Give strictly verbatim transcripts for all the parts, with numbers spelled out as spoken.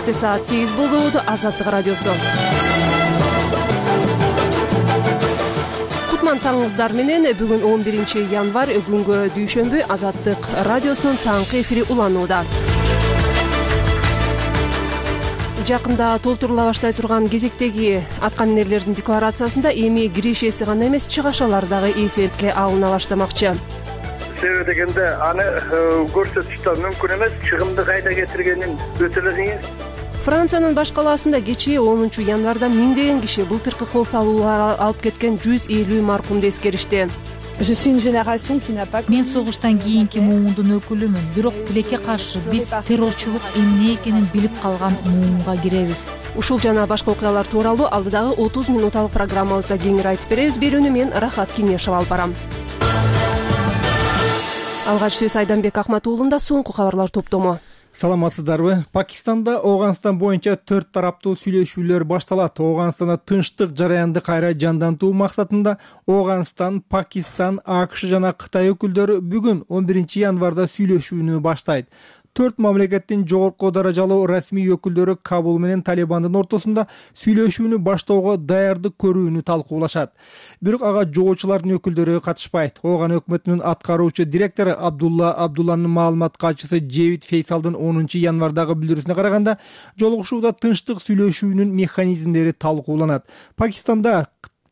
Кечте саат сегиз болду. Азаттык радиосу. Кутман таңыңыздар менен. Бүгүн он биринчи январь, күнгө дүйшөмбү. Азаттык радиосунун таңкы эфири уланууда. Жакында толтурула баштай турган кезектеги аткаминерлердин декларациясында эми кирешеси гана эмес, чыгашалар дагы эсепке алына баштамакчы. Себеби дегенде аны көрсөтүштө мүмкүн эмес, чыгымды кайда кетиргенин өтө эле кыйын. Франциянын баш калаасында кечээ онунчу январда миңдеген киши былтыркы кол салууларга алып кеткен жүз элүү маркумду эскеришти. Мен согуштан кийинки муундун өкүлүмүн, бирок тилекке каршы биз террорчулук эмне экенин билип калган муунга киребиз. Ушул жана башка окуялар тууралуу алдыдагы отуз минуталык программабызда кеңири айтып беребиз. Берүүнү мен Рахат Кеңешова алып барам. Алгач сөз Айданбек Акматуулунда. Соңку кабарлар топтому. Саламатсыздарбы? Пакистанда Ооганстан боюнча төрт тараптуу сүйлөшүүлөр башталат. Ооганстанда тынчтык жараянды кайра жандантуу максатында Ооганстан, Пакистан, АКШ жана Кытай өкүлдөрү бүгүн он биринчи январда сүйлөшүүнү баштайт. Төрт мамлекеттин жогорку даражалуу расмий өкүлдөрү Кабул менен Талибандын ортосунда сүйлөшүүнү баштоого даярдык көрүүнү талкуулашат. Бирок ага жоочулардын өкүлдөрү катышпайт. Ооган өкмөтүнүн аткаруучу директору Абдулла Абдулланын маалымат катчысы Джейвид Фейсалдын онунчу январдагы билдирүүсүнө караганда, жолугушууда тынчтык сүйлөшүүнүн механизмдери талкууланат. Пакистанда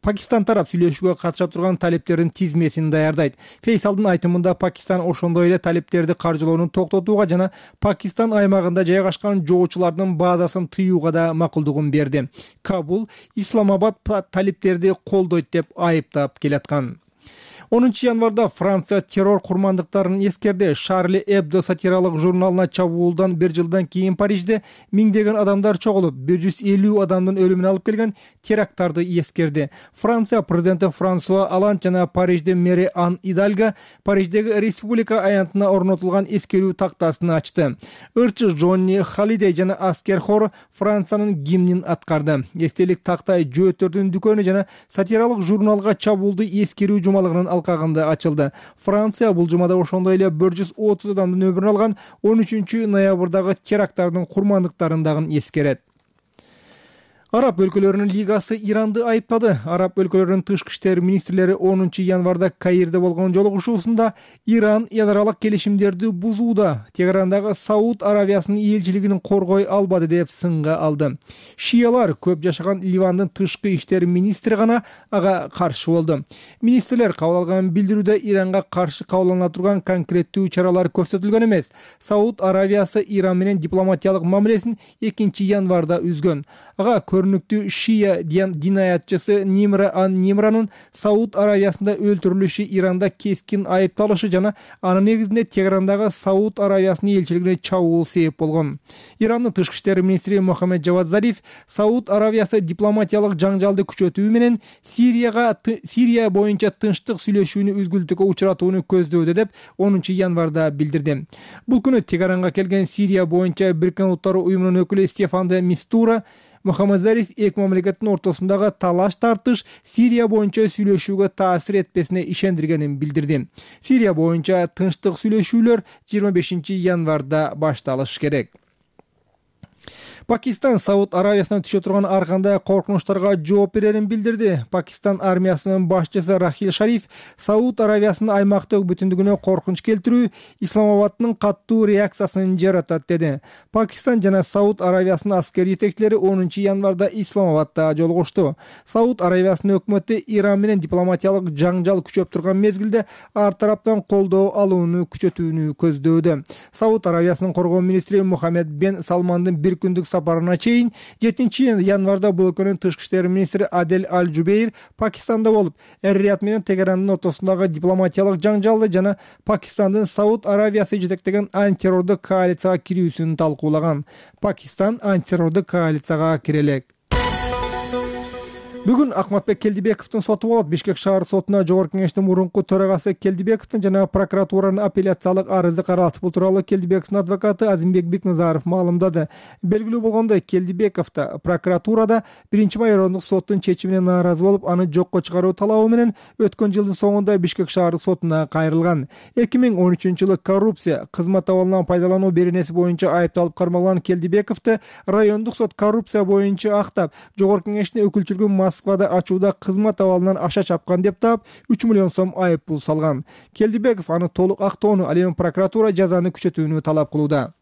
Пакистан тарап сүйлөшүүгө катыша турган талептердин тизмесин даярдайт. Фейсалдын айтымында Пакистан ошондой эле талептерди каржылоону токтотууга жана Пакистан аймагында жайгашкан жоочулардын базасын тыюуга да макулдугун берди. Кабул Исламабад талептерди колдойт деп айыптап келаткан. онунчу январда Франция террор курмандыктарын эскерди. Шарли Эбдо сатиралык журналына чабуулдан бир жылдан кийин Парижде миңдеген адамдар чогулуп, бир жүз элүү адамдын өлүмүнө алып келген теракттарды эскерди. Франция президенти Франсуа Олланд жана Парижде мэри Ан Идальго Париждеги республика аянтына орнотулган эскерүү тактасын ачты. Ырчы Жонни Халидей жана аскер хору Франциянын гимнин аткарды. Эстелик тактай жөөттөрдүн дүкөнү жана сатиралык журналга чабуулду эскерүү жумалыгынын алкагында ачылды. Франция бул жумада ошондой эле бир жүз отуз адамдын өмүрүн алган он үчүнчү ноябрдагы теракттардын курмандыктарын дагы эскерет. Араб өлкөлөрүнүн лигасы Иранды айыптады. Араб өлкөлөрүнүн тышкы иштер министрлери онунчу январда Каирде болгон жолугушуусунда Иран ядралык келишимдерди бузууда, Тегерандагы Сауд Аравиясынын элчилигин коргой албады деп сынга алды. Шиялар көп жашаган Ливандын тышкы иштер министри гана ага каршы болду. Министрлер кабыл алган билдирүүдө Иранга каршы кабылдана турган конкреттүү чаралар көрсөтүлгөн эмес. Сауд Аравиясы Иран менен дипломатиялык мамилесин экинчи январда үзгөн. Ага көрүнүктүү шия динаятчысы Нимра Ан Нимранын Сауд Аравиясында өлтүрүлүшү Иранда кескин айыпталышы жана анын негизинде Тегерандагы Сауд Аравиясынын элчилигине чабуул себеп болгон. Ирандын тышкы иштер министри Мохаммед Жавад Зариф Сауд Аравиясы дипломатиялык жаңжалды күчөтүү менен Сирияга Сирия боюнча тынчтык сүйлөшүүнү үзгүлтүккө учуратууну көздөөдө деп онунчу январда билдирди. Бул күнү Тегеранга келген Сирия боюнча Бириккен Улуттар уюмунун өкүлү Стефан де Мистура Мохаммед Зариф эки мамлекеттин ортосундагы талаш тартыш Сирия боюнча сүйлөшүүгө таасир этпесине ишендиргенин билдирди. Сирия боюнча тынчтык сүйлөшүүлөр жыйырма бешинчи январда башталышы керек. Пакистан Сауд Аравиясынан түшө турган ар кандай коркунучтарга жооп берерин билдирди. Пакистан армиясынын башчысы Рахил Шариф Сауд Аравиясынын аймактык бүтүндүгүнө коркунуч келтирүү Исламабадтын каттуу реакциясын жаратат деди. Пакистан жана Сауд Аравиясынын аскер жетекчилери онунчу январда Исламабадда жолугушту. Сауд Аравиясынын өкмөтү Иран менен дипломатиялык жаңжал күчөп турган мезгилде ар тараптан колдоо алууну күчөтүүнү көздөөдө. Сауд Аравиясынын коргоо министри Мухаммед бен Салмандын бир күндүк сапарына чейин жетинчи январда бул өлкөнүн тышкы иштер министри Адель Аль-Жубейр Пакистанда болуп, Эр-Рияд менен Тегерандын ортосундагы дипломатиялык жаңжалды жана Пакистандын Сауд Аравиясы жетектеген антитеррордук коалицияга кирүүсүн талкуулаган. Пакистан антитеррордук коалицияга кире элек. Бүгүн Акматбек Келдибековдун соту болот. Бишкек шаар сотуна Жогорку Кеңештин мурунку төрагасы Келдибековдун жана прокуратуранын апелляциялык арызы каралат. Бул тууралуу Келдибековдун адвокаты Азимбек Бекназаров маалымдады. Белгилүү болгондой, Келдибеков да прокуратурада биринчи май райондук соттун чечимине нааразы болуп, аны жокко чыгаруу талабы менен өткөн жылдын соңунда Бишкек шаардык сотуна кайрылган. эки миң он үчүнчү жылы коррупция, кызмат абалынан пайдалануу беренеси боюнча айыпталып кармалган Келдибековду райондук сот коррупция боюнча актап, Жогорку Кеңештин өкүлчүлүгүн Москвада ачууда кызмат абалынан аша чапкан деп таап, үч миллион сом айып пул салган. Келдибеков аны толук актоону, ал эми прокуратура жазаны күчөтүүнү талап кылууда.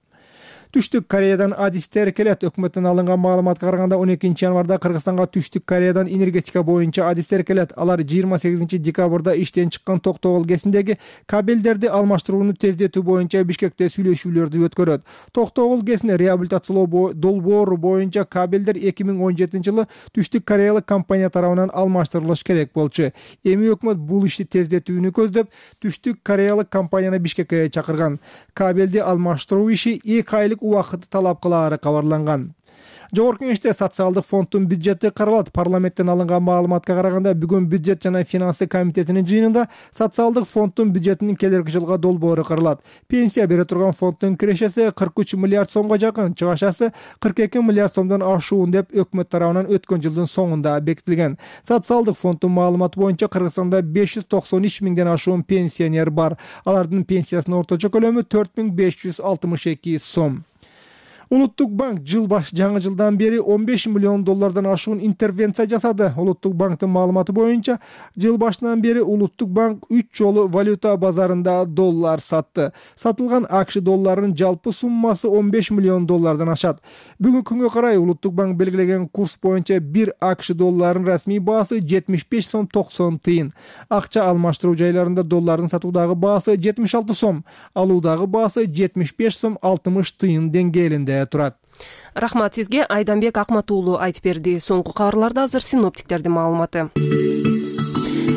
Түштүк Кореядан адистер келет. Өкмөттөн алынган маалыматка караганда он экинчи январда Кыргызстанга Түштүк Кореядан энергетика боюнча адистер келет. Алар жыйырма сегизинчи декабрда иштен чыккан Токтогул ГЭСиндеги кабелдерди алмаштырууну тездетүү боюнча Бишкекте сүйлөшүүлөрдү өткөрөт. Токтогул ГЭСине реабилитациялоо долбоору боюнча кабелдер эки миң он жетинчи жылы Түштүк Кореялык компания тарабынан алмаштырылыш керек болчу. Эми өкмөт бул ишти тездетүүнү көздөп, Түштүк Кореялык компанияны Бишкекке чакырган. Кабелди алмаштыруу иши эки айлык убакытты талап кылаары кабарланган. Жогорку Кеңеште социалдык фонддун бюджети каралат. Парламенттен алынган маалыматка караганда, бүгүн бюджет жана финансы комитетинин жыйынында социалдык фонддун бюджетинин келерки жылга долбоору каралат. Пенсия бере турган фонддун кирешеси кырк үч миллиард сомго жакын, чыгашасы кырк эки миллиард сомдон ашуун деп өкмөт тарабынан өткөн жылдын соңунда бекитилген. Социалдык фонддун маалыматы боюнча Кыргызстанда беш жүз токсон үч миңден ашуун пенсионер бар. Алардын пенсиясынын орточо көлөмү төрт миң беш жүз алтымыш эки сом. Улуттук банк жыл баш жаңы жылдан бери он беш миллион доллардан ашуун интервенция жасады. Улуттук банктын маалыматы боюнча, жыл башынан бери Улуттук банк үч жолу валюта базарында доллар сатты. Сатылган АКШ долларынын жалпы суммасы он беш миллион доллардан ашат. Бүгүнкү күнгө карай Улуттук банк белгилеген курс боюнча бир АКШ долларынын расмий баасы жетимиш беш сом токсон тыйын. Акча алмаштыруу жайларында доллардын сатуудагы баасы жетимиш алты сом, алуудагы баасы жетимиш беш сом алтымыш тыйын деңгээлинде турат. Рахмат сизге. Айданбек Акмат уулу айтып берди. Соңку кабарларда азыр синоптиктердин маалыматы.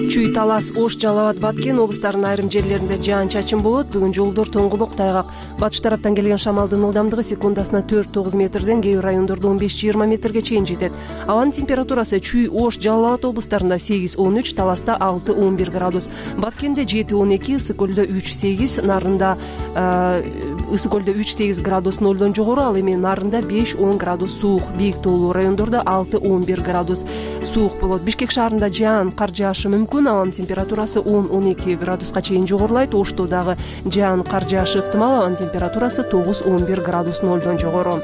Чүй, Талас, Ош, Жалал абад, Баткен облустарынын айрым жерлеринде жаан-чачын болот. Бүгүн жолдор тоңгулук, тайгак. Батыш тараптан келген шамалдын ылдамдыгы секундасына төрт тогуз метрден, кээ бир райондордо он беш жыйырма метрге чейин жетет. Абанын температурасы Чүй, Ош, Жалал абад облустарында сегиз он үч, Таласта алты он бир градус, Баткенде жети он эки, Ысык көлдө үч сегиз, Нарында Ысык көлдө үч сегиз градус нолдон жогору, ал эми Нарында беш он градус суук. Бийик тоолуу райондордо алты он бир градус суук болот. Бишкек шаарында жаан, кар жаашы мүмкүн. Абанын температурасы он он эки градуска чейин жогорулайт. Ошто дагы жаан, кар жаашы ыктымал. Абанын температурасы тогуз он бир градус нолдон жогору.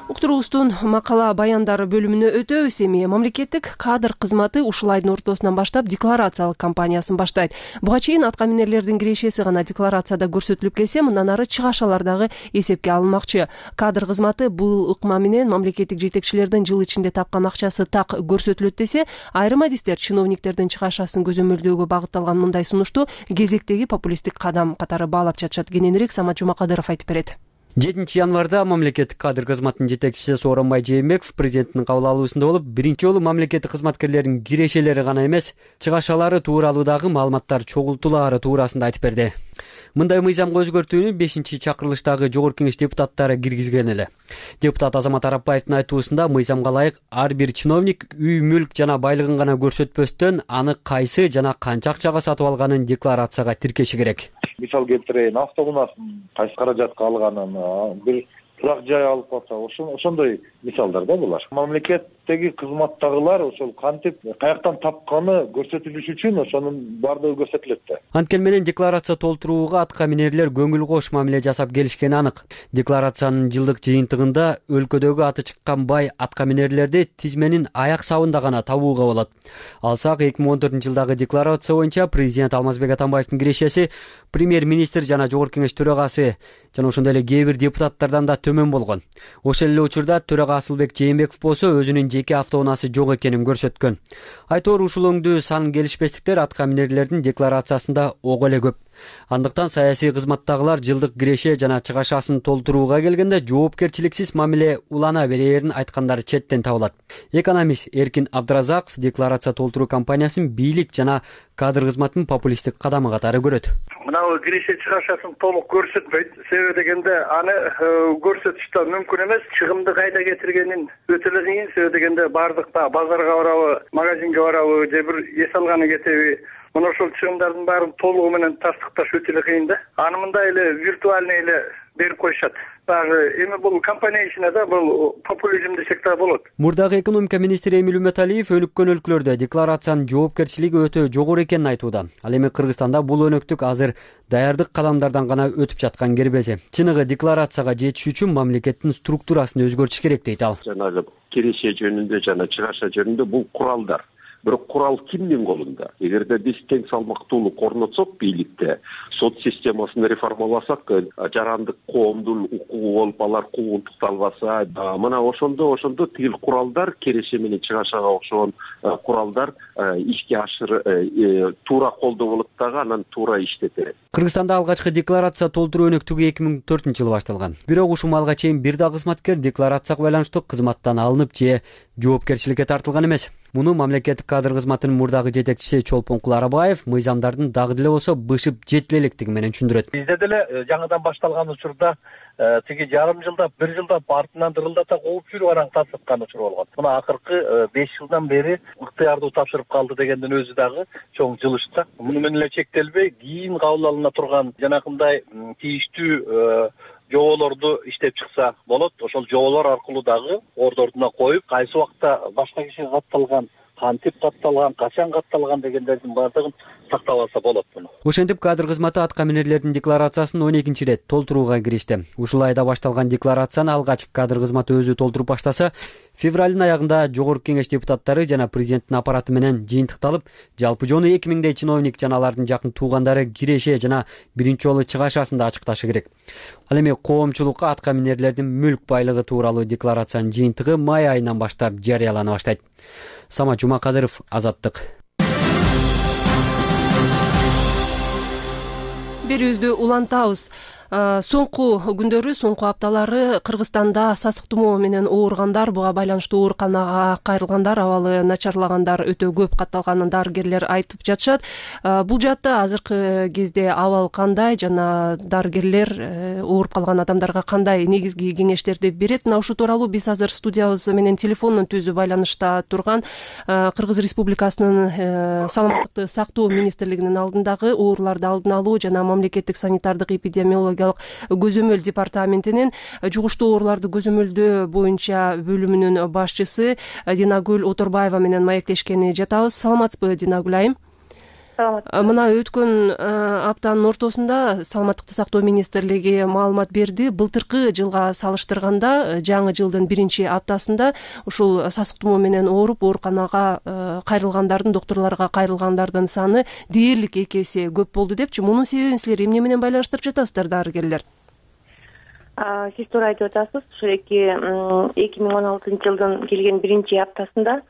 Уктуруубуздун макала баяндары бөлүмүнө өтөбүз. Эми мамлекеттик кадр кызматы ушул айдын ортосунан баштап декларациялык кампаниясын баштайт. Буга чейин аткаминерлердин кирешеси гана декларацияда көрсөтүлүп келсе, мындан ары чыгашалар дагы эсепке алынмакчы. Кадр кызматы бул ыкма менен мамлекеттик жетекчилердин жыл ичинде тапкан акчасы так көрсөтүлөт десе, айрым адистер чиновниктердин чыгашасын көзөмөлдөөгө багытталган мындай сунушту кезектеги популисттик кадам катары баалап жатышат. Кененирээк Самат Жумакадыров айтып берет. жетинчи январда мамлекеттик кадр кызматынын жетекчиси Сооронбай Жээнбеков президенттин кабыл алуусунда болуп, биринчи жолу мамлекеттик кызматкерлердин кирешелери гана эмес, чыгашалары тууралуудагы маалыматтар чогултулаары туурасында айтып берди. Мындай мыйзамга өзгөртүүнү бешинчи чакырылыштагы Жогорку Кеңеш депутаттары киргизген эле. Депутат Азамат Арапбаевдин айтуусунда, мыйзамга ылайык ар бир чиновник үй мүлк жана байлыгын гана көрсөтпөстөн, аны кайсы жана канча акчага сатып алганын декларацияга тиркеши керек. Мисал келтирейин, автоунаасын кайсы каражатка алганын, бир турак жай алып калса, ошондой мисалдар да булар. Мамлекеттеги кызматтагылар ошол кантип каяктан тапканы көрсөтүлүш үчүн ошонун баардыгы көрсөтүлөт да. Анткени менен декларация толтурууга аткаминерлер көңүл кош мамиле жасап келишкени анык. Декларациянын жылдык жыйынтыгында өлкөдөгү аты чыккан бай аткаминерлерди тизменин аяк сабында гана табууга болот. Алсак, эки миң он төртүнчү жылдагы декларация боюнча президент Алмазбек Атамбаевдин кирешеси премьер-министр жана Жогорку Кеңеш төрагасы жана ошондой эле кээ бир депутаттардан да төмөн болгон. Ошол эле учурда төрага Асылбек Жээнбеков болсо өзүнүн жеке автоунаасы жок экенин көрсөткөн. Айтор ушул өңдүү сан келишпестиктер аткаминерлердин декларациясында ого эле көп. Андыктан саясий кызматтагылар жылдык киреше жана чыгашасын толтурууга келгенде жоопкерчиликсиз мамиле улана берээрин айткандары четтен табылат. Экономист Эркин Абдыразаков декларация толтуруу кампаниясын бийлик жана кадр кызматынын популисттик кадамы катары көрөт. Мына урканагы киреше чыгашасын толук көрсөтпөйт. Себеби дегенде аны көрсөтүш да мүмкүн эмес. Чыгымды кайда кетиргенин өтө эле кыйын. Себеби дегенде бардыкта базарга барабы, магазинге барабы, же бир эс алганы кетеби, мына ошол чыгымдардын баарын толугу менен тастыкташ өтө эле кыйын да. Аны мындай эле виртуальный эле берип коюшат. Дагы эми бул компания ичинде да бул популизм десек да болот. Мурдагы экономика министри Эмиль Үмөталиев өнүккөн өлкөлөрдө декларациянын жоопкерчилиги өтө жогору экенин айтууда. Ал эми Кыргызстанда бул өнөктүк азыр даярдык кадамдардан гана өтүп жаткан кербези. Чыныгы декларацияга жетиш үчүн мамлекеттин структурасын өзгөртүш керек дейт ал. Жанагы киреше жөнүндө жана чыгаша жөнүндө бул куралдар. Бирок курал кимдин колунда? Эгерде биз тең салмактуулук орнотсок бийликте, сот системасын реформаласак, жарандык коомдун укугу болуп алар куугунтукталбаса, мына ошондо ошондо тигил куралдар киреше менен чыгашага окшогон куралдар ишке ашыр туура колдонулуп дагы анан туура иштете. Кыргызстанда алгачкы декларация толтуруу өнөктүгү эки миң төртүнчү жылы башталган. Бирок ушул малга чейин бир да кызматкер декларацияга байланыштуу кызматтан алынып же жоопкерчиликке тартылган эмес. Муну мамлекеттик кадр кызматынын мурдагы жетекчиси Чолпонкул Арабаев мыйзамдардын дагы деле болсо бышып жетиле электиги менен түшүндүрөт. Бизде деле жаңыдан башталган учурда тиги жарым жылда, бир жылда артынан дырылдата кууп жүрүп анан тасыткан учур болгон. Мына акыркы беш жылдан бери ыктыярдуу тапшырып калды дегендин өзү дагы чоң жылыш да. Муну менен эле чектелбей, кийин кабыл алына турган жанакындай тийиштүү жоболорду иштеп чыкса болот. Ошол жоболор аркылуу дагы ордордуна коюп, кайсы убакта башка киши катталган, кантип катталган, качан катталган дегендердин баардыгын сактап алса болот муну. Ошентип кадр кызматы аткаминерлердин декларациясын он экинчи ирет толтурууга киришти. Ушул айда башталган декларацияны алгач кадр кызматы өзү толтуруп баштаса, февралдын аягында Жогорку Кеңеш депутаттары жана президенттин аппараты менен жыйынтыкталып, жалпы жону эки миңдей чиновник жана алардын жакын туугандары киреше жана биринчи жолу чыгашасын да ачыкташы керек. Ал эми коомчулукка аткаминерлердин мүлк байлыгы тууралуу декларациянын жыйынтыгы май айынан баштап жарыялана баштайт. Самат Жумакадыров, Азаттык. Берүүбүздү улантабыз. Соңку күндөрү, соңку апталары Кыргызстанда сасык тумоо менен ооругандар, буга байланыштуу ооруканага кайрылгандар, абалы начарлагандар өтө көп катталганын дарыгерлер айтып жатышат. Бул жаатта азыркы кезде абал кандай жана дарыгерлер ооруп калган адамдарга кандай негизги кеңештерди берет? Мына ушул тууралуу биз азыр студиябыз менен телефондон түзүү байланышта турган Кыргыз Республикасынын саламаттыкты сактоо министрлигинин алдындагы ооруларды алдын алуу жана мамлекеттик санитардык эпидемиология көзөмөл департаментинин жугуштуу ооруларды көзөмөлдөө боюнча бөлүмүнүн башчысы Динагүл Оторбаева менен маектешкени жатабыз. Саламатсызбы, Динагүл айым? Мына өткөн аптанын ортосунда саламаттыкты сактоо министрлиги маалымат берди. Былтыркы жылга салыштырганда жаңы жылдын биринчи аптасында ушул сасык тумоо менен ооруп ооруканага кайрылгандардын, доктурларга кайрылгандардын саны дээрлик эки эсе көп болду депчи. Мунун себебин силер эмне менен байланыштырып жатасыздар, дарыгерлер? Сиз туура айтып атасыз. Ушул эки миң он алтынчы жылдын келген биринчи аптасында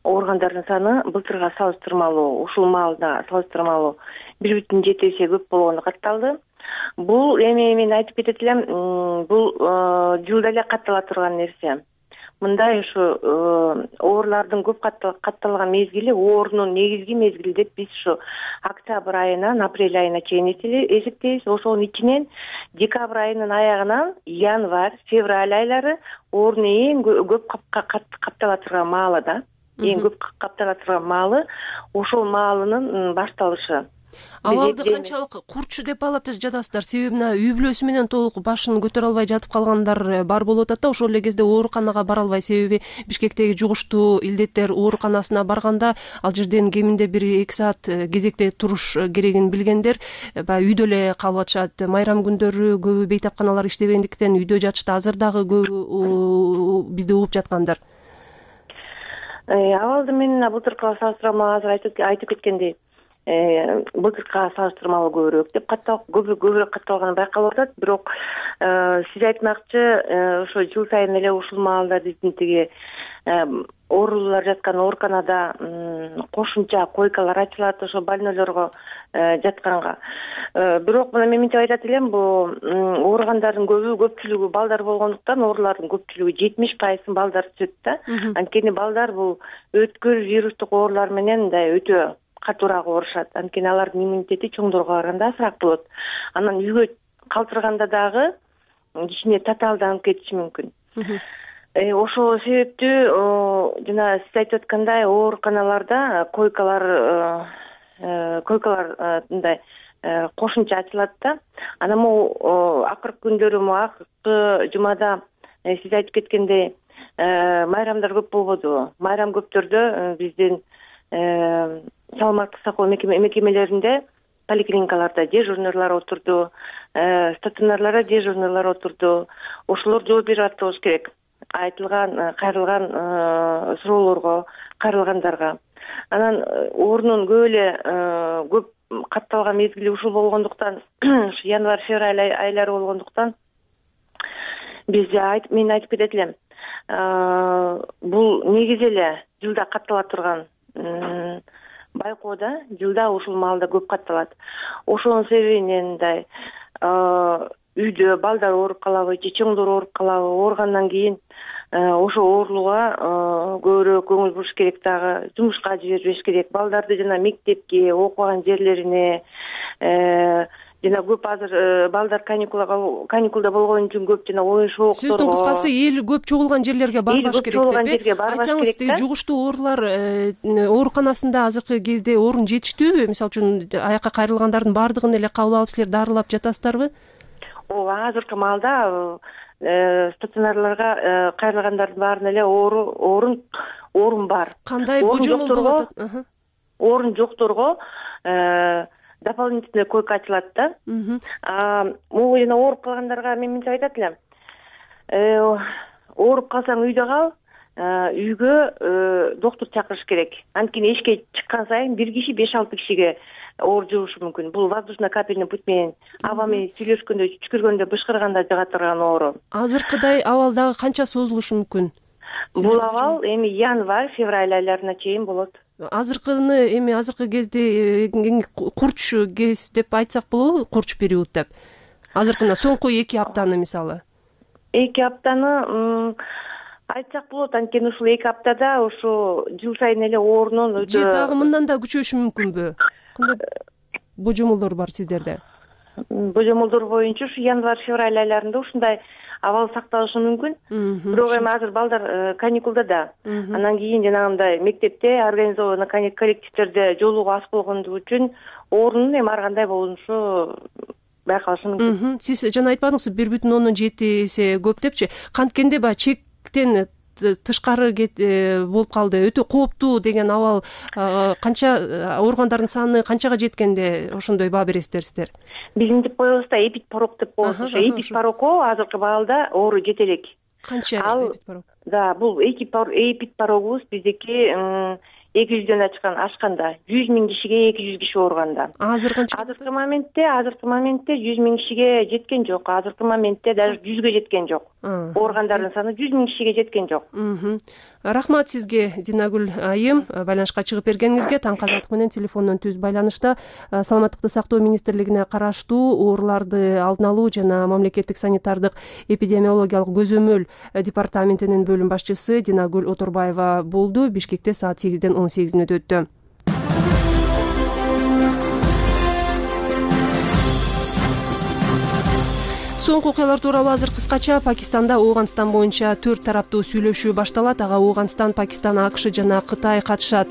ооругандардын саны былтырга салыштырмалуу, ушул маалда салыштырмалуу бир бүтүн жети эсе көп болгону катталды. Бул эми мен айтып кетет элем, бул жылда эле каттала турган нерсе. Мындай ушу оорулардын көп катталган мезгили, оорунун негизги мезгили деп биз ушу октябрь айынан апрель айына чейин эсептейбиз. Ошонун ичинен декабрь айынын аягынан январь, февраль айлары оорунун эң көп каптала турган маалы да. Эң көп каптала турган маалы ошол маалынын башталышы. Абалды канчалык курчу деп алып жатасыздар? Себеби үй бүлөсү менен толук башын көтөрө албай жатып калгандар бар болуп атат да. Ошол эле кезде ооруканага бара албай, себеби Бишкектеги жугуштуу илдеттер ооруканасына барганда ал жерден кеминде бир эки саат кезекте туруш керегин билгендер баягы үйдө эле калып атышат. Майрам күндөрү көбү бейтапканалар иштебегендиктен үйдө жатышты. Азыр дагы көбү бизди угуп жаткандар. Абалды мен былтыркыга салыштырмалуу азыр айтып кеткендей, былтыркыга салыштырмалуу көбүрөөк деп катталып, көбүрөөк катталганы байкалып атат. Бирок сиз айтмакчы, ошо жыл сайын эле ушул маалда биздин тиги оорулуулар жаткан ооруканада кошумча койкалар ачылат, ошо больнойлорго жатканга. Бирок мына мен мынтип айтат элем, бул ооругандардын көбү көпчүлүгү балдар болгондуктан оорулардын көпчүлүгү жетимиш пайызын балдар түзөт да. Анткени балдар бул өткөр вирустук оорулар менен мындай өтө катуураак урушат. Анткени алардын иммунитети чоңдорго караганда азыраак болот. Анан үйгө калтырганда дагы кичине татаалданып кетиши мүмкүн. Ошол себептүү жана сиз айтып аткандай ооруканаларда койкалар койкалар мындай кошумча ачылат да. Анан могу акыркы күндөрү могу акыркы жумада сиз айтып кеткендей майрамдар көп болбодубу? Майрам көптөрдө биздин саламаттык сактоо мекемелеринде, поликлиникаларда дежурныйлар отурду, стационарларда дежурныйлар отурду. Ошолор жооп берип атты болуш керек. Айтылган, кайрылган суроолорго, кайрылгандарга. Анан орунун көп эле көп катталган мезгили ушул болгондуктан, ушу январь-февраль айлары болгондуктан биз мен айтып кетет элем. Бул негизи эле жылда каттала турган байкоо да, жылда ушул маалда көп катталат. Ошонун себебинен мындай үйдө балдар ооруп калабы, же чоңдор ооруп калабы, ооругандан кийин ошо оорулууга көбүрөөк көңүл буруш керек, дагы жумушка жибербеш керек. Балдарды жана мектепке, окуган жерлерине жана көп азыр балдар каникулга каникулда болгон үчүн көп жана оюн шоокторго. Сөздүн кыскасы эл көп чогулган жерлерге барбаш керек деп э? Айтсаңыз, жугуштуу оорулар ооруканасында азыркы кезде орун жетиштүүбү? Мисалы үчүн аякка кайрылгандардын баардыгын эле кабыл алып силер дарылап жатасыздарбы? Ооба, азыркы маалда стационарларга кайрылгандардын баарына эле орун орун бар. Кандай божомол болуп атат? Орун жокторго дополнительный койка ачылат да. Могу жана ооруп калгандарга мен мынча айтат элем. Ооруп калсаң үйдө кал, үйгө доктур чакырыш керек. Анткени эшикке чыккан сайын бир киши беш алты кишиге оор жугушу мүмкүн. Бул воздушно-капельный путь менен аба менен сүйлөшкөндө, түшкүргөндө, бышкырганда жыга турган оору. Азыркыдай абал дагы канча созулушу мүмкүн? Бул абал эми январь-февраль айларына чейин болот. Азыркыны эми азыркы кезде курч кез деп айтсак болобу, курч период деп. Азыркына соңку эки аптаны мисалы. Эки аптаны айтсак болот, анткени ушул эки аптада ушу жыл сайын эле оорунун өтө. Же дагы мындан да күчөшү мүмкүнбү? Кандай божомолдор бар сиздерде? Божомолдор боюнча ушу январь-февраль айларында ушундай абал сакталышы мүмкүн. Бирок эми азыр балдар каникулда да. Андан кийин жанагындай мектепте организованный коллективдерде жолугуу аз болгондугу үчүн оорунун эми ар кандай болушу байкалышы мүмкүн. Сиз жана айтпадыңызбы бир бүтүн ондон жети эсе көп депчи? Канткенде баягы чектен тышкары болуп калды, өтө кооптуу деген абал канча ооругандардын саны канчага жеткенде ошондой баа бересиздер сиздер? Биздин деп коебуз да эпидпорок деп коебуз. Ошо эпидпорокко азыркы баалда оору жете элек. Канча эпидпорок? Да, бул эпидпорогубуз биздики эки жүздөн ачкан ашканда, жүз миң кишиге эки жүз киши ооруганда. Азыр канча? Азыркы моментте, азыркы моментте жүз миң кишиге жеткен жок. Азыркы моментте даже жүзгө жеткен жок. Ооругандардын саны жүз миң кишиге жеткен жок. Рахмат сизге, Динагүл айым, байланышка чыгып бергениңизге. Таңкы азаттык менен телефондон түз байланышта Саламаттыкты сактоо министрлигине караштуу ооруларды алдын алуу жана мамлекеттик санитардык эпидемиологиялык көзөмөл департаментинин бөлүм башчысы Динагүл Оторбаева болду. Бишкекте саат сегизден он сегиз мүнөт өттү. Соңку окуялар тууралуу азыр кыскача. Пакистанда Ооганстан боюнча төрт тараптуу сүйлөшүү башталат. Ага Ооганстан, Пакистан, АКШ жана Кытай катышат.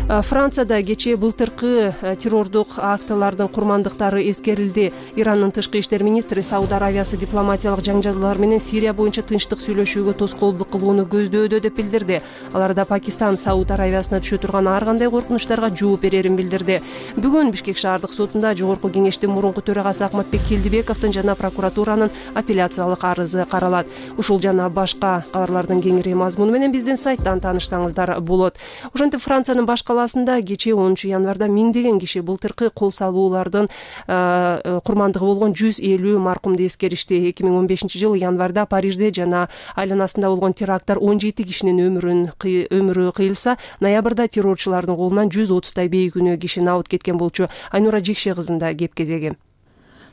Францияда кечээ былтыркы террордук актылардын курмандыктары эскерилди. Ирандын тышкы иштер министри Сауд Аравиясы дипломатиялык жаңжалуулар менен Сирия боюнча тынчтык сүйлөшүүгө тоскоолдук кылууну көздөдө деп билдирди. Аларда Пакистан Сауд Аравиясына түшө турган ар кандай коркунучтарга жооп берерин билдирди. Бүгүн Бишкек шаардык сотунда Жогорку кеңештин мурунку төрагасы Акматбек Келдибековдун жана прокуратуранын апелляциялык арызы каралат. Ушул жана башка кабарлардын кеңири мазмуну менен биздин сайттан таанышсаңыздар болот. Ошентип Франциянын баш калаасында кечээ онунчу январда миңдеген киши былтыркы кол салуулардын курмандыгы болгон жүз элүү маркумду эскеришти. эки миң он бешинчи жылы январда Парижде жана айланасында болгон теракттар он жети кишинин өмүрүн өмүрү кыйылса, ноябрда террорчулардын колунан жүз отуздай бейкүнөө киши набыт кеткен болчу. Айнура Жекше кызында кеп кезеги.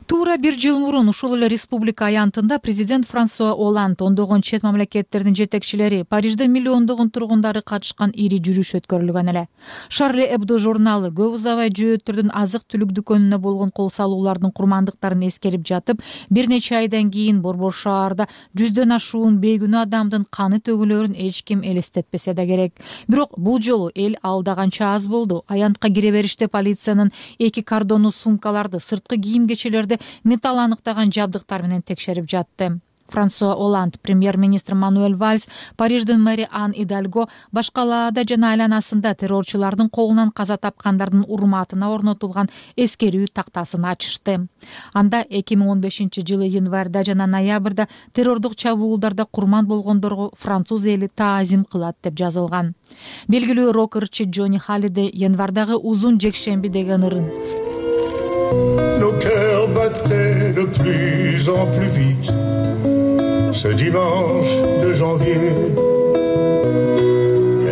туура бир жыл мурун ушул эле республика аянтында президент Франсуа Оланд ондогон чет мамлекеттердин жетекчилери, Парижде миллиондогон тургундары катышкан ири жүрүш өткөрүлгөн эле. Шарли Эбдо журналы көп узабай жөөттөрдүн азык-түлүк дүкөнүнө болгон кол салуулардын курмандыктарын эскерип жатып, бир нече айдан кийин Борбор шаарда жүздөн ашуун бейгүнөө адамдын каны төгүлөрүн эч ким элестетпесе да керек. Бирок бул жолу эл алдаганча аз болду. Аянтка кире бериште полициянын эки кордону сумкаларды, сырткы кийим кечелерди металл аныктаган жабдыктар менен текшерип жатты. Франсуа Оланд, премьер-министр Мануэль Вальс, Париждин мэри Ан Идальго башкалаада жана айланасында террорчулардын колунан каза тапкандардын урматына орнотулган эскерүү тактасын ачышты. Анда эки миң он бешинчи жылы январда жана ноябрда террордук чабуулдарда курман болгондорго француз эли таазим кылат деп жазылган. Белгилүү рок ырчы Джонни Халлидей январдагы узун жекшемби деген ырын: Nos cœurs battaient de plus en plus vite ce dimanche de janvier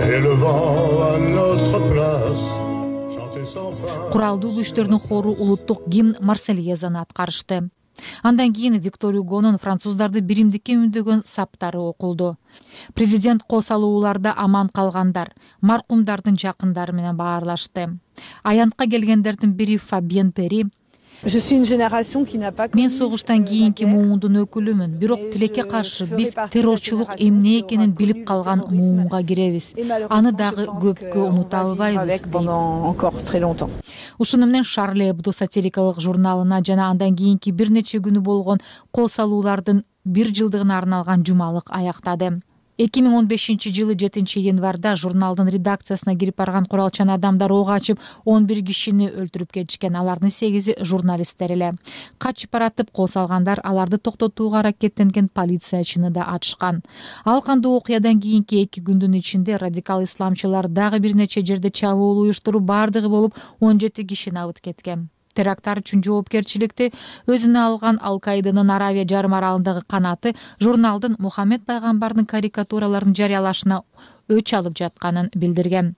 et le vent à notre place chantait sans fin. Куралдуу күчтөрдүн хору улуттук гимн Марсельезаны аткарышты. Андан кийин Виктор Югонун француздарды биримдикке үндөгөн саптары окулду. Президент кол салууларда аман калгандар, маркумдардын жакындары менен баарлашты. Аянтка келгендердин бири Фабиен Пери: Мен согуштан кийинки муундун өкүлүмүн, бирок тилекке каршы биз террорчулук эмне экенин билип калган муунга киребиз. Аны дагы көпкө унута албайбыз. Ушуну менен Шарли Эбдо сатирикалык журналына жана андан кийинки бир нече күнү болгон кол салуулардын бир жылдыгына арналган жумалык аяктады. эки миң он бешинчи жылы жетинчи январда журналдын редакциясына кирип барган куралчан адамдар ок ачып он бир кишини өлтүрүп кетишкен. Алардын сегизи журналисттер эле. Качып баратып кол салгандар аларды токтотууга аракеттенген полициячыны да атышкан. Ал кандуу окуядан кийинки эки күндүн ичинде радикал исламчылар дагы бир нече жерде чабуул уюштуруп, бардыгы болуп он жети кишини абыт кеткен. Теракттар үчүн жоопкерчиликти өзүнө алган Ал-Каиданын Аравия жарым аралындагы канаты журналдын Мухаммед пайгамбардын карикатураларын жарыялашына өч алып жатканын билдирген.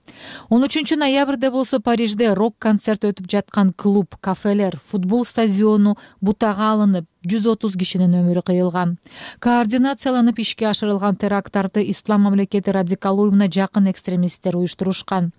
он үчүнчү ноябрда болсо Парижде рок-концерт өтүп жаткан клуб, кафелер, футбол стадиону бутага алынып, жүз отуз кишинин өмүрү кыйылган. Координацияланып ишке ашырылган теракттарды Ислам мамлекети радикал уюмуна жакын экстремисттер уюштурушкан.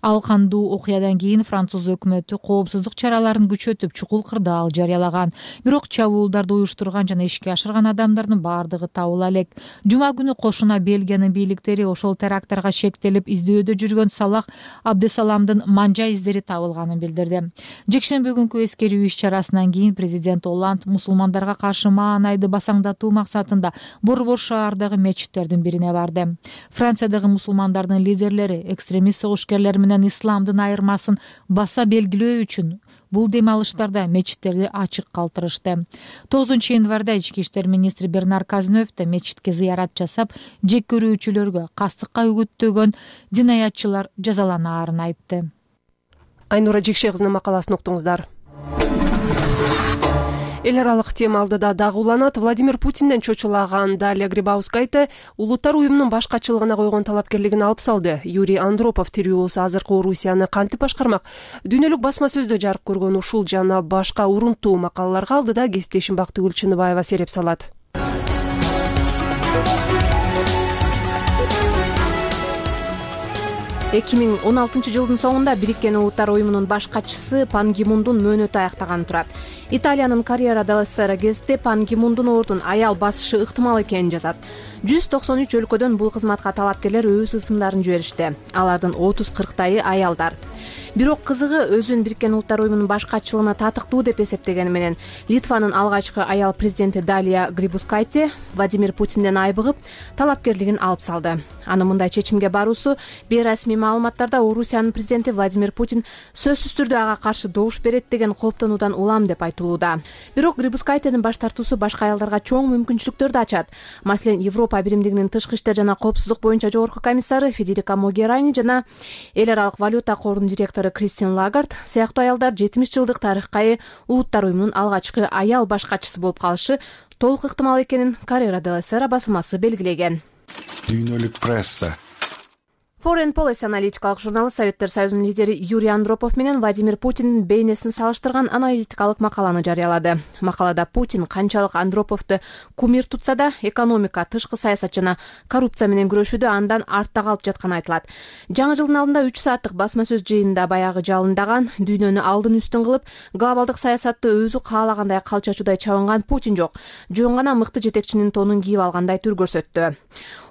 Ал кандуу окуядан кийин француз өкмөтү коопсуздук чараларын күчөтүп, чукул кырдаал жарыялаган. Бирок чабуулдарды уюштурган жана ишке ашырган адамдардын бардыгы табыла элек. Жума күнү кошуна Бельгиянын бийликтери ошол теракттарга шектелип издөөдө жүргөн Салах Абдесаламдын манжа издери табылганын билдирди. Жекшемби күнкү эскерүү иш-чарасынан кийин президент Оланд мусулмандарга каршы маанайды басаңдатуу максатында Борбор шаардагы мечиттердин бирине барды. Франциядагы мусулмандардын лидерлери экстремист согушкерлер менен исламдын айырмасын баса белгилөө үчүн бул дем алыштарда мечиттерди ачык калтырышты. тогузунчу январда ички иштер министри Бернар Казнөв да мечитке зыярат жасап, жек көрүүчүлөргө кастыкка үгүттөгөн динаятчылар жазаланаарын айтты. Айнура Жекше кызынын макаласын уктуңуздар. Эл аралык тема алдыда дагы уланат. Владимир Путинден чочулаган Далия Грибаускайте улуттар уюмунун башкачылыгына койгон талапкерлигин алып салды. Юрий Андропов тирүүсү азыркы Орусияны кантип башкармак? Дүйнөлүк басма сөздө жарык көргөн ушул жана башка урунттуу макалаларга алдыда кесиптешим Бактыгүл Чыныбаева сереп салат. эки миң он алтынчы жылдын соңунда Бириккен Улуттар уюмунун баш катчысы Пан Ги Мундун мөөнөтү аяктаганы турат. Италиянын Корriere dello Sera гезити Пан Ги Мундун ордун аял басышы ыктымал экенин жазат. жүз токсон үч өлкөдөн бул кызматка талапкерлер өз ысымдарын жиберишти. Алардын отуз кырктайы аялдар. Бирок кызыгы өзүн Бириккен Улуттар уюмунун баш катчылыгына татыктуу деп эсептегени менен Литванын алгачкы аял президенти Далия Грибаускайте Владимир Путинден айбыгып талапкерлигин алып салды. Анын мындай чечимге баруусу бейрасмий маалыматтарда Орусиянын президенти Владимир Путин сөзсүз түрдө ага каршы добуш берет деген кооптонуудан улам деп айтылууда. Бирок Грибаускайтенин баш тартуусу башка аялдарга чоң мүмкүнчүлүктөрдү ачат. Маселен, Европа биримдигинин тышкы иштер жана коопсуздук боюнча жогорку комиссары Федерика Могерани жана Эл аралык валюта корунун директору Кристин Лагард сыяктуу аялдар жетимиш жылдык тарыхка ээ Улуттар уюмунун алгачкы аял баш катчысы болуп калышы толук ыктымал экенин Corriere dello Sera басылмасы белгилеген. Дүйнөлүк пресса. Foreign Policy аналитикалык журналы Советтер Союзунун лидери Юрий Андропов менен Владимир Путиндин бейнесин салыштырган аналитикалык макаланы жарыялады. Макалада Путин канчалык Андроповду кумир тутса да, экономика, тышкы саясат жана коррупция менен күрөшүүдө андан артта калып жатканы айтылат. Жаңы жылдын алдында үч сааттык басма сөз жыйынында баягы жалындаган, дүйнөнү алдын үстүн кылып, глобалдык саясатты өзү каалагандай калчачуудай чабынган Путин жок, жөн гана мыкты жетекчинин тонун кийип алгандай түр көрсөттү.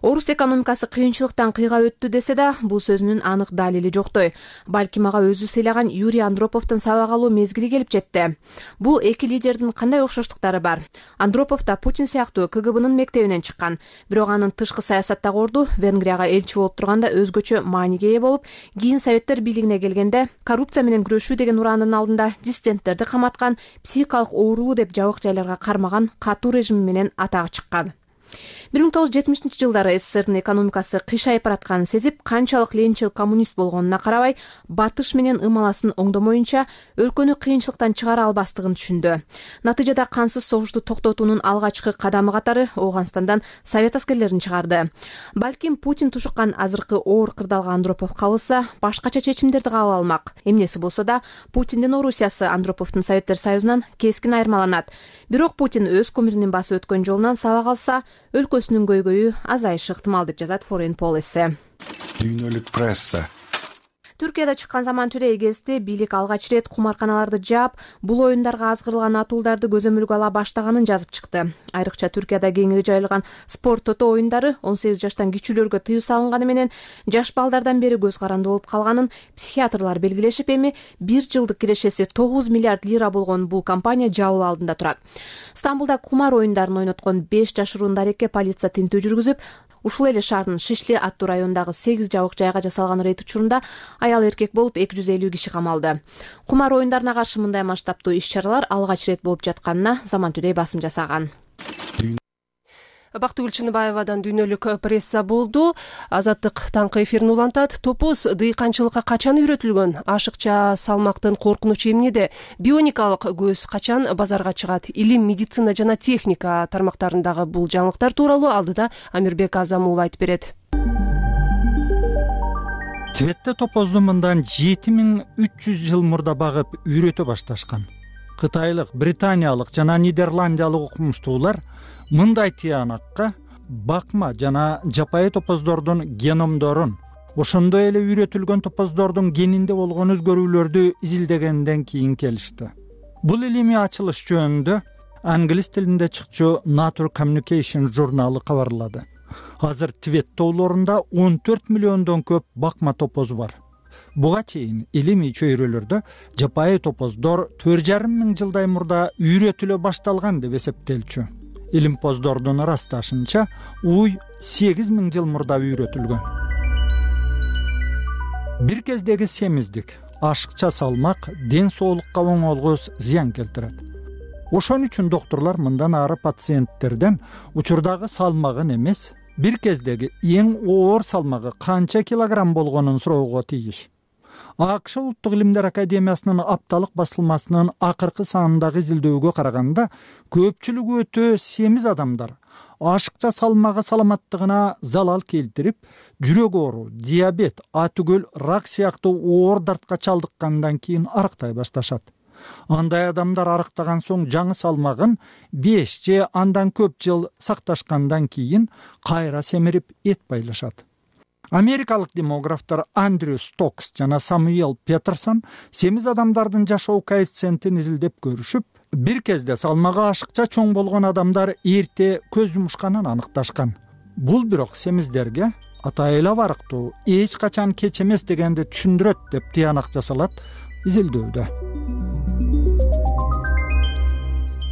Орус экономикасы кыйынчылыктан кыйга өттү десе да, бул сөзүнүн анык далили жоктой. Балким ага өзү сыйлаган Юрий Андроповдун сабак алуу мезгили келип жетти. Бул эки лидердин кандай окшоштуктары бар? Андропов да Путин сыяктуу ка гэ бнын мектебинен чыккан, бирок анын тышкы саясаттагы орду Венгрияга элчи болуп турганда өзгөчө мааниге ээ болуп, кийин Советтер бийлигине келгенде коррупция менен күрөшүү деген ураанын алдында диссиденттерди каматкан, психикалык оорулуу деп жабык жайларга кармаган катуу режим менен атагы чыккан. бир миң тогуз жүз жетимишинчи жылдары эс эс эс эрдин экономикасы кыйшайып баратканын сезип, канчалык ленинчил коммунист болгонуна карабай, батыш менен ымаласын оңдомоюнча өлкөнү кыйынчылыктан чыгара албастыгын түшүндү. Натыйжада кансыз согушту токтотуунун алгачкы кадамы катары Ооганстандан совет аскерлерин чыгарды. Балким Путин тушуккан азыркы оор кырдаалга Андропов кабылса, башкача чечимдерди кабыл алмак. Эмнеси болсо да, Путиндин Орусиясы Андроповдун Советтер Союзунан кескин айырмаланат. Бирок Путин өз кумиринин басып өткөн жолунан сабак алса, өлкөсүнүн көйгөйү азайышы ыктымал деп жазат Foreign Policy. Дүйнөлүк пресса. Түркияда чыккан заманча эгести бийлик алгач ирет кумарканаларды жаап, бул оюндарга азгырылган атуулдарды көзөмөлгө ала баштаганын жазып чыкты. Айрыкча Түркияда кеңири жайылган спорт тото оюндары он сегиз жаштан кичүүлөргө тыюу салынганы менен жаш балдардан бери көз каранды болуп калганын психиатрлар белгилешип, эми бир жылдык кирешеси тогуз миллиард лира болгон бул компания жабылуу алдында турат. Стамбулда кумар оюндарын ойноткон беш жашыруун дарекке полиция тинтүү жүргүзүп, ушул эле шаардын Шишли аттуу районундагы сегиз жабык жайга жасалган рейд учурунда аял эркек болуп эки жүз элүү киши камалды. Кумар оюндарына каршы мындай масштабтуу иш-чаралар алгач ирет болуп жатканына Заман Today басым жасаган. Бактыгүл Чыныбаевадан дүйнөлүк пресса болду. Азаттык таңкы эфирин улантат. Топоз дыйканчылыкка качан үйрөтүлгөн? Ашыкча салмактын коркунучу эмнеде? Бионикалык көз качан базарга чыгат? Илим, медицина жана техника тармактарындагы бул жаңылыктар тууралуу алдыда Амирбек Азам уулу айтып берет. Тибетте топозду мындан жети миң үч жүз жыл мурда багып үйрөтө башташкан. Кытайлык, британиялык жана нидерландиялык окумуштуулар мындай тыянакка бакма жана жапайы топоздордун геномдорун, ошондой эле үйрөтүлгөн топоздордун генинде болгон өзгөрүүлөрдү изилдегенден кийин келишти. Бул илимий ачылыш жөнүндө англис тилинде чыкчу Nature Communication журналы кабарлады. Азыр Тибет тоолорунда он төрт миллиондон көп бакма топоз бар. Буга чейин илимий чөйрөлөрдө жапайы топоздор төрт жарым миң жылдай мурда үйрөтүлө башталган деп эсептелчү. Илимпоздордун ырасташынча уй сегиз миң жыл мурда үйрөтүлгөн. Бир кездеги семиздик, ашыкча салмак ден соолукка оңолгус зыян келтирет. Ошон үчүн доктурлар мындан ары пациенттерден учурдагы салмагын эмес, бир кездеги эң оор салмагы канча килограмм болгонун суроого тийиш. АКШ Улуттук илимдер академиясынын апталык басылмасынын акыркы санындагы изилдөөгө караганда, көпчүлүгү өтө семиз адамдар ашыкча салмагы саламаттыгына залал келтирип, жүрөк оору, диабет, атүгөл, рак сыяктуу оор дартка чалдыккандан кийин арыктай башташат. Андай адамдар арыктаган соң жаңы салмагын беш же андан көп жыл сакташкандан кийин кайра семирип эт байлашат. Америкалык демографтар Андрю Стокс жана Самуэл Петерсон семиз адамдардын жашоо коэффициентин изилдеп көрүшүп, бир кезде салмагы ашыкча чоң болгон адамдар эрте көз жумушканын аныкташкан. Бул бирок семиздерге атайылап арыктоо эч качан кеч эмес дегенди түшүндүрөт деп тыянак жасалат изилдөөдө.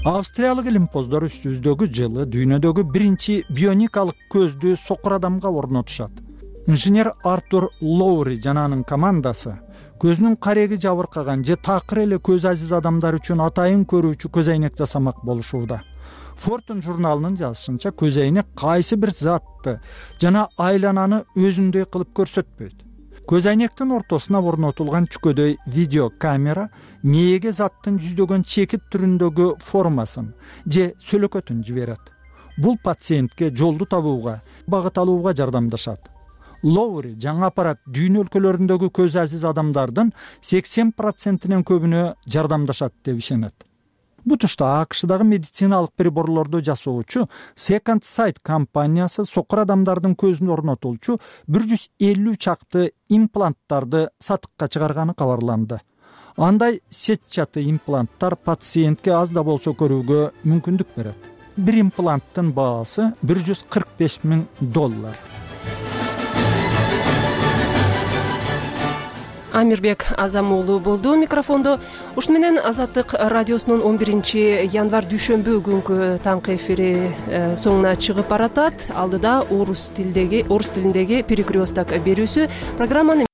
Австриялык илимпоздор үстүбүздөгү жылы дүйнөдөгү биринчи бионикалык көздү сокур адамга орнотушат. Инженер Артур Лоури жана анын командасы көзүнүн кареги жабыркаган же такыр эле көз азиз адамдар үчүн атайын көрүүчү көз айнек жасамак болушууда. Fortune журналынын жазышынча, көз айнек кайсы бир затты жана айлананы өзүндөй кылып көрсөтпөйт. Көз айнектин ортосуна орнотулган чүкөдөй видео камера мээге заттын жүздөгөн чекит түрүндөгү формасын же сөлөкөтүн жиберет. Бул пациентке жолду табууга, багыт алууга жардамдашат. лоури жаңы аппарат дүйнө өлкөлөрүндөгү көзү азиз адамдардын сексен процентинен көбүнө жардамдашат деп ишенет. Бутушта АКШдагы медициналык приборлорду жасоочу Second Sight компаниясы сокур адамдардын көзүн орнотулчу бир жүз элүү чакты импланттарды сатыкка чыгарганы кабарланды. Андай сетчаты импланттар пациентке аз да болсо көрүүгө мүмкүндүк берет. Бир импланттын баасы бир жүз кырк беш миң доллар. Амирбек Азам уулу болду микрофондо. Ушуну менен Азаттык радиосунун он биринчи январь дүйшөмбү күнкү таңкы эфири соңуна чыгып баратат. Алдыда орус тилдеги орус тилиндеги перекресток берүүсү. Программаны